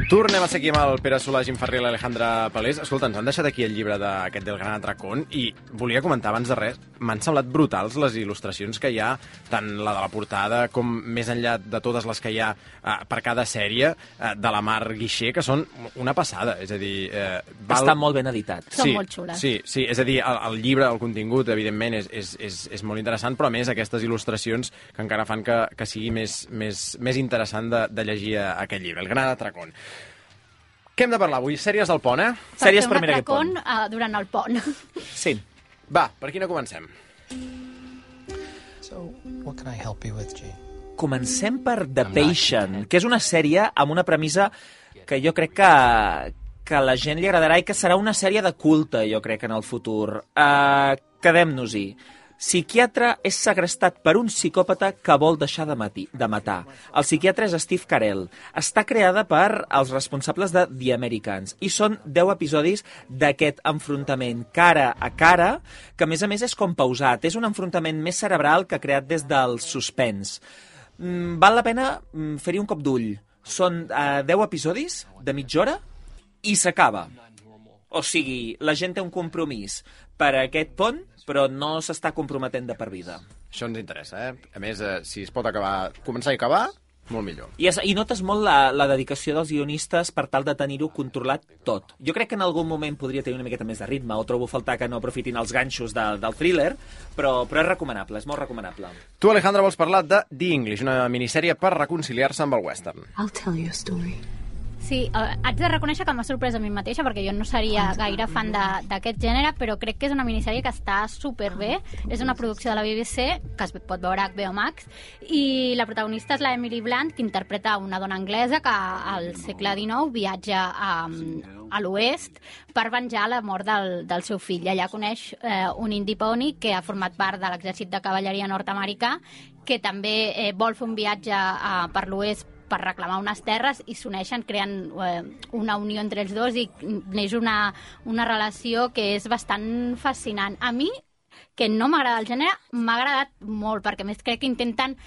Tornem a ser aquí amb el Pere Solà, Jim Ferrer i l'Alejandra Palés. Escolta, ens han deixat aquí el llibre d'aquest del Gran Atracón i volia comentar abans de res, m'han semblat brutals les il·lustracions que hi ha, tant la de la portada com més enllà de totes les que hi ha per cada sèrie, de la Mar Guixer, que són una passada. És a dir... Està molt ben editat. Són molt xules. Sí, és a dir, el llibre, el contingut, evidentment, és molt interessant, però a més aquestes il·lustracions que encara fan que sigui més interessant de llegir aquest llibre, el Gran Atracón. Què hem de parlar avui? Sèries del pont, Sèries per mirar aquest pont. Durant el pont. Sí. Va, per quina comencem? So, what can I help you with, G? Comencem per The Patient, que és una sèrie amb una premissa que jo crec que a la gent li agradarà i que serà una sèrie de culte, jo crec, en el futur. Quedem-nos-hi. Psiquiatre és segrestat per un psicòpata que vol deixar de matar. El psiquiatre és Steve Carell. Està creada per els responsables de The Americans i són 10 episodis d'aquest enfrontament cara a cara, que a més és com pausat. És un enfrontament més cerebral que creat des del suspens. Val la pena fer-hi un cop d'ull. Són 10 episodis de mitja hora i s'acaba. O sigui, la gent té un compromís per a aquest pont, però no s'està comprometent de per vida. Això ens interessa, A més, si es pot començar i acabar, molt millor. I notes molt la dedicació dels guionistes per tal de tenir-ho controlat tot. Jo crec que en algun moment podria tenir una miqueta més de ritme, o trobo faltar que no aprofitin els ganxos del thriller, però és recomanable, és molt recomanable. Tu, Alejandra, vols parlar de The English, una minissèrie per reconciliar-se amb el western. I'll tell you a story. Sí, haig de reconèixer que m'ha sorprès a mi mateixa perquè jo no seria gaire fan d'aquest gènere, però crec que és una minissèrie que està superbé. És una producció de la BBC, que es pot veure a HBO Max, i la protagonista és la Emily Blunt, que interpreta una dona anglesa que al segle XIX viatja a l'oest per venjar la mort del seu fill. Allà coneix un indi pony que ha format part de l'exèrcit de cavalleria nord-americà, que també vol fer un viatge per l'oest per reclamar unes terres i s'uneixen, creen una unió entre els dos i neix una relació que és bastant fascinant. A mi, que no m'agrada el gènere, m'ha agradat molt, perquè a més crec que intenten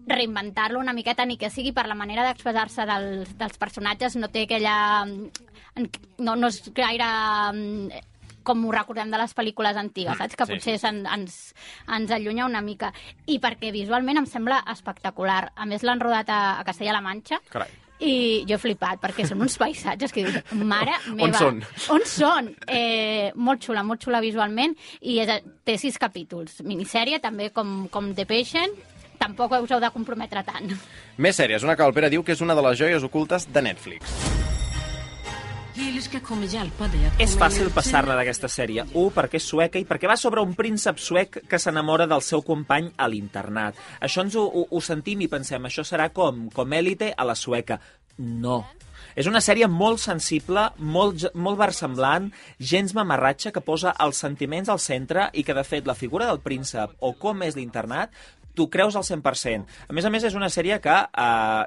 reinventar-lo una miqueta, ni que sigui per la manera d'expressar-se dels personatges, no té aquella... no és gaire... com ho recordem de les pel·lícules antigues, saps? Que potser ens allunya una mica. I perquè visualment em sembla espectacular. A més, l'han rodat a Castella-La Manxa. Carai. I jo he flipat, perquè són uns paisatges que dius, mare meva. On són? On són? Molt xula visualment, i té 6 capítols. Minissèrie, també com The Patient. Tampoc us heu de comprometre tant. Més sèries, una que el Pere diu que és una de les joies ocultes de Netflix. És fàcil passar-la d'aquesta sèrie. Perquè és sueca i perquè va sobre un príncep suec que s'enamora del seu company a l'internat. Això ens ho sentim i pensem, això serà com Élite a la sueca. No. És una sèrie molt sensible, molt versemblant, gens mamarratxa, que posa els sentiments al centre i que, de fet, la figura del príncep o com és l'internat t'ho creus al 100%. A més, és una sèrie que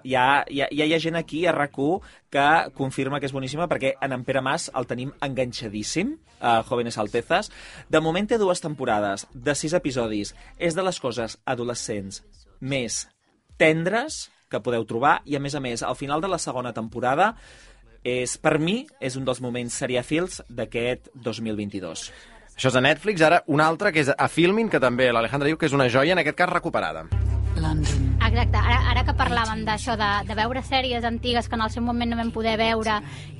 hi ha gent aquí a RAC1 que confirma que és boníssima perquè en Pere Mas el tenim enganxadíssim, a Jóvenes Altezas. De moment té 2 temporades, de 6 episodis. És de les coses adolescents més tendres que podeu trobar i, a més, al final de la segona temporada per mi, és un dels moments seriàfils d'aquest 2022. Això és a Netflix, ara una altra que és a Filmin, que també l'Alejandra diu que és una joia, en aquest cas recuperada. Exacte, ara que parlàvem d'això, de veure sèries antigues que en el seu moment no vam poder veure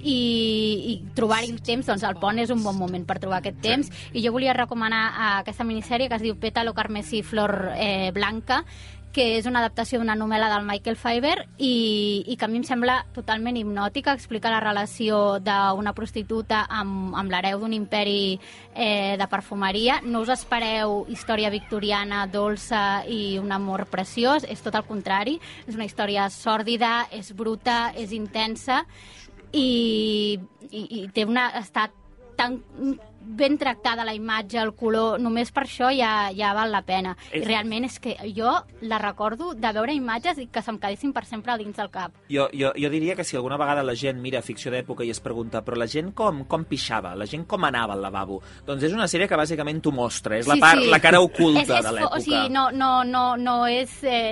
i trobar-hi temps, doncs el pont és un bon moment per trobar aquest temps, i jo volia recomanar aquesta minissèrie que es diu Pétalo carmesí flor blanca, que és una adaptació d'una novel·la del Michael Faber i que a mi em sembla totalment hipnòtica. Explica la relació d'una prostituta amb l'hereu d'un imperi de perfumeria. No us espereu història victoriana, dolça i un amor preciós, és tot el contrari. És una història sòrdida, és bruta, és intensa i està tan ben tractada la imatge, el color, només per això ja val la pena. I realment és que jo la recordo de veure imatges i que se'm quedessin per sempre dins del cap. Jo diria que si alguna vegada la gent mira ficció d'època i es pregunta però la gent com pixava, la gent com anava al lavabo, doncs és una sèrie que bàsicament t'ho mostra, és la cara oculta de l'època. O sigui,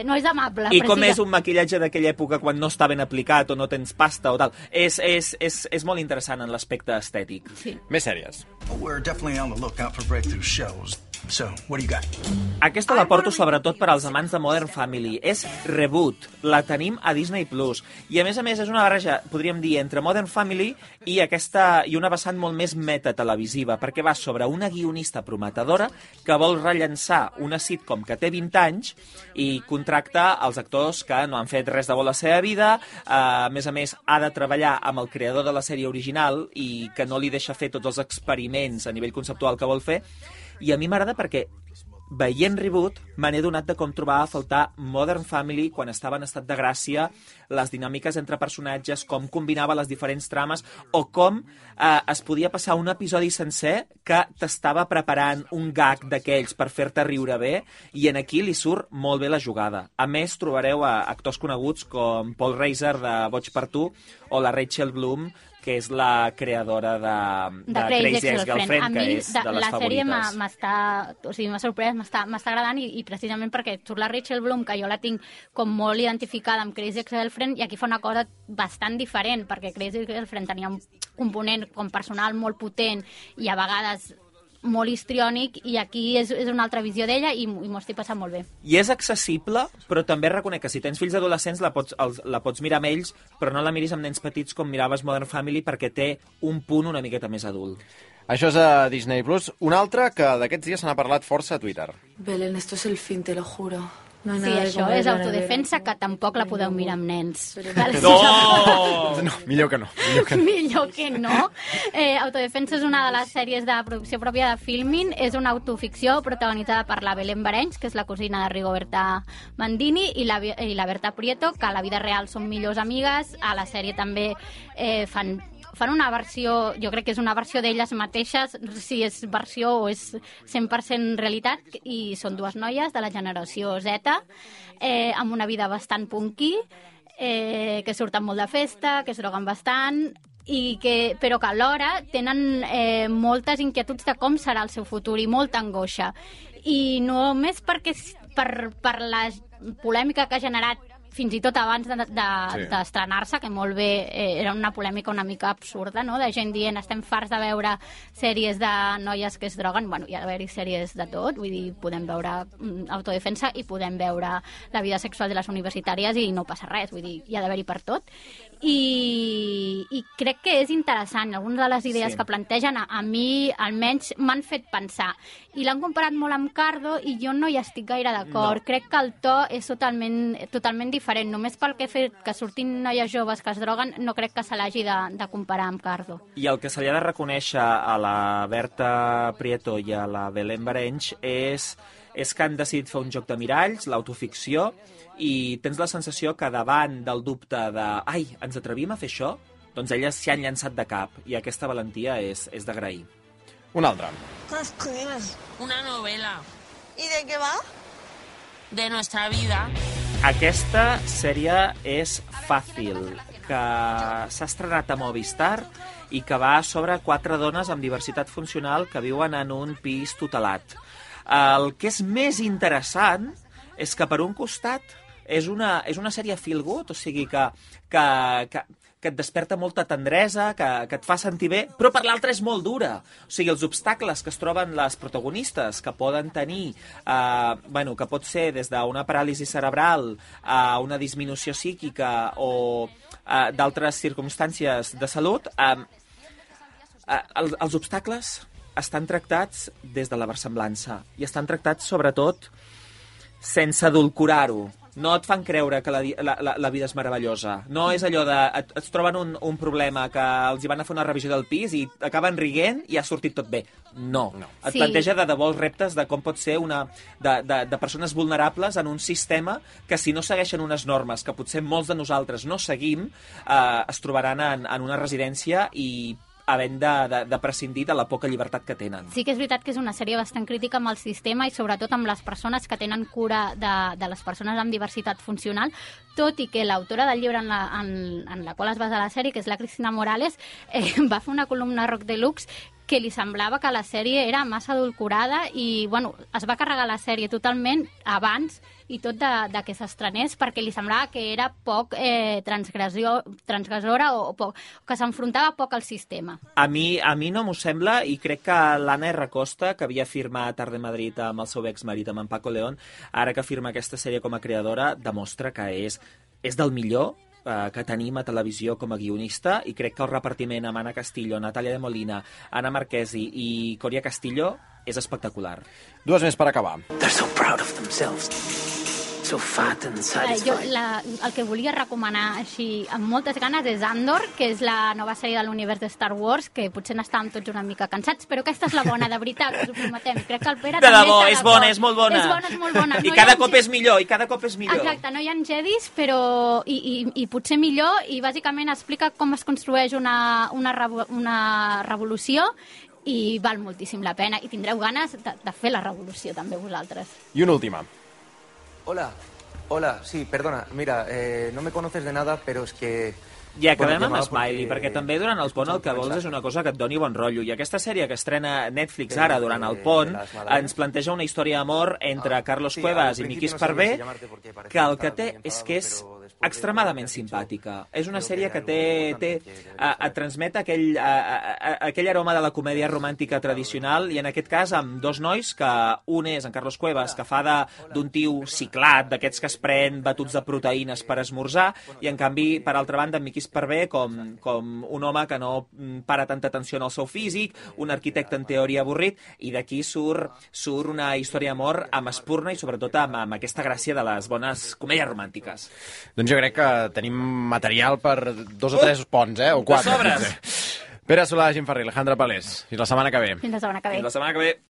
no és amable. I com és un maquillatge d'aquella època quan no està ben aplicat o no tens pasta o tal. És molt interessant en l'aspecte estètic. Sí. Més sèries. We're definitely on the lookout for breakthrough shows. So, what do you got? Aquesta la porto sobretot per als amants de Modern Family. És Reboot. La tenim a Disney+. I a més és una barreja, podríem dir, entre Modern Family i una vessant molt més metatelevisiva, perquè va sobre una guionista prometedora que vol rellençar una sitcom que té 20 anys i contracta els actors que no han fet res de bo a la seva vida. A més, ha de treballar amb el creador de la sèrie original i que no li deixa fer tots els experiments a nivell conceptual que vol fer. I a mi m'agrada perquè, veient Reboot, me n'he donat de com trobava a faltar Modern Family quan estava en estat de gràcia, les dinàmiques entre personatges, com combinava les diferents trames, o com es podia passar un episodi sencer que t'estava preparant un gag d'aquells per fer-te riure bé, i en aquí li surt molt bé la jugada. A més, trobareu actors coneguts com Paul Reiser de Boig per tu, o la Rachel Bloom, que és la creadora de Crazy Ex-Girlfriend, que és de les favorites. La sèrie m'ha sorprès, m'està agradant, i precisament perquè surt la Rachel Bloom, que jo la tinc com molt identificada amb Crazy Ex-Girlfriend, i aquí fa una cosa bastant diferent, perquè Crazy Ex-Girlfriend tenia un component com personal molt potent i a vegades molt histriònic, i aquí és una altra visió d'ella i m'ho estic passant molt bé. I és accessible, però també reconec que si tens fills adolescents la pots mirar amb ells, però no la miris amb nens petits com miraves Modern Family, perquè té un punt una miqueta més adult. Això és a Disney+. Un altre que d'aquests dies se n'ha parlat força a Twitter. Belén, esto es el fin, te lo juro. No Sí, això és autodefensa, que tampoc la podeu mirar amb nens. No! No, millor que no. Millor que no. Autodefensa és una de les sèries de producció pròpia de Filmin. És una autoficció protagonitzada per la Belén Barenys, que és la cosina de Rigoberta Bandini, i la Berta Prieto, que a la vida real són millors amigues. A la sèrie també fan una versió, jo crec que és una versió d'elles mateixes, si és versió o és 100% realitat, i són dues noies de la generació Z, amb una vida bastant punky, que surten molt de festa, que es droguen bastant, però que alhora tenen moltes inquietuds de com serà el seu futur i molta angoixa. I només perquè per la polèmica que ha generat fins i tot abans d'estrenar-se, que molt bé era una polèmica una mica absurda, no? De gent dient estem farts de veure sèries de noies que es droguen. Bueno, hi ha d'haver-hi sèries de tot, vull dir, podem veure autodefensa i podem veure la vida sexual de les universitàries i no passa res, vull dir, hi ha d'haver-hi per tot. I crec que és interessant. Algunes de les idees que plantegen a mi almenys m'han fet pensar. I l'han comparat molt amb Cardo i jo no hi estic gaire d'acord. No. Crec que el to és totalment diferent. Només pel que he fet que surtin noies joves que es droguen, no crec que se l'hagi de comparar amb Cardo. I el que se li ha de reconèixer a la Berta Prieto i a la Belén Barenys és que han decidit fer un joc de miralls, l'autoficció, i tens la sensació que davant del dubte de ai, ens atrevim a fer això? Doncs elles s'hi han llançat de cap, i aquesta valentia és d'agrair. Un altre. ¿Qué escribes? Una novela ¿Y de qué va? de nuestra vida. Aquesta sèrie és Fàcil, que s'ha estrenat a Movistar i que va sobre 4 dones amb diversitat funcional que viuen en un pis tutelat. El que és més interessant és que, per un costat, és una sèrie feel good, o sigui que et desperta molta tendresa, que et fa sentir bé, però per l'altra és molt dura. O sigui, els obstacles que es troben les protagonistes, que poden tenir, que pot ser des d'una paràlisi cerebral a una disminució psíquica o d'altres circumstàncies de salut, els obstacles estan tractats des de la versemblança i estan tractats, sobretot, sense edulcorar-ho. No et fan creure que la vida és meravellosa. No és allò de... Et troben un problema que els hi van a fer una revisió del pis i acaben rient i ha sortit tot bé. No. Et planteja de debò els reptes de com pot ser de persones vulnerables en un sistema que, si no segueixen unes normes que potser molts de nosaltres no seguim, es trobaran en una residència i havent de prescindir de la poca llibertat que tenen. Sí que és veritat que és una sèrie bastant crítica amb el sistema i sobretot amb les persones que tenen cura de les persones amb diversitat funcional, tot i que l'autora del llibre en la qual es basa la sèrie, que és la Cristina Morales, va fer una columna a Rock Deluxe que li semblava que la sèrie era massa adulcorada i, bueno, es va carregar la sèrie totalment abans i tot de que s'estrenés perquè li semblava que era poc transgressora o que s'enfrontava poc al sistema. A mi no m'ho sembla i crec que l'Anna R. Costa, que havia firmat Art de Madrid amb el seu exmarit, amb en Paco León, ara que firma aquesta sèrie com a creadora, demostra que és del millor que tenim a televisió com a guionista i crec que el repartiment amb Anna Castillo, Natàlia de Molina, Anna Marquesi i Coria Castillo és espectacular. Dues més per acabar. They're so proud of themselves. So fat and satisfied. El que volia recomanar així amb moltes ganes és Andor, que és la nova sèrie de l'univers de Star Wars, que potser n'estàvem tots una mica cansats, però aquesta és la bona, de veritat, us ho prometem. Crec que el Pere de també debò, està és bona, és molt bona. És bona, és molt bona. I cada cop és millor, i cada cop és millor. Exacte, no hi ha jedis, però i potser millor, i bàsicament explica com es construeix una revolució i val moltíssim la pena, i tindreu ganes de fer la revolució també vosaltres. I una última. Hola, sí, perdona, mira, no me conoces de nada, pero es que... I acabem amb Smiley, perquè també durant el pont el que vols és una cosa que et doni bon rotllo. I aquesta sèrie que estrena Netflix ara durant el pont ens planteja una història d'amor entre Carlos Cuevas i Miquis Parvé, que el que té és que és extremadament simpàtica. És una sèrie que et transmet aquell aroma de la comèdia romàntica tradicional i en aquest cas amb dos nois, que un és en Carlos Cuevas, que fa d'un tio ciclat, d'aquests que es pren batuts de proteïnes per esmorzar, i en canvi, per altra banda, en Miquis Parvé com un home que no para tanta atenció al seu físic, un arquitecte en teoria avorrit, i d'aquí surt una història d'amor amb espurna i sobretot amb aquesta gràcia de les bones comèdies romàntiques. Doncs jo crec que tenim material per 2 o 3 ponts, o 4. De sobres! Pere Solà, Jim Farré, Alejandra Palés. Fins la setmana que ve. Fins la setmana que ve. Fins la setmana que ve.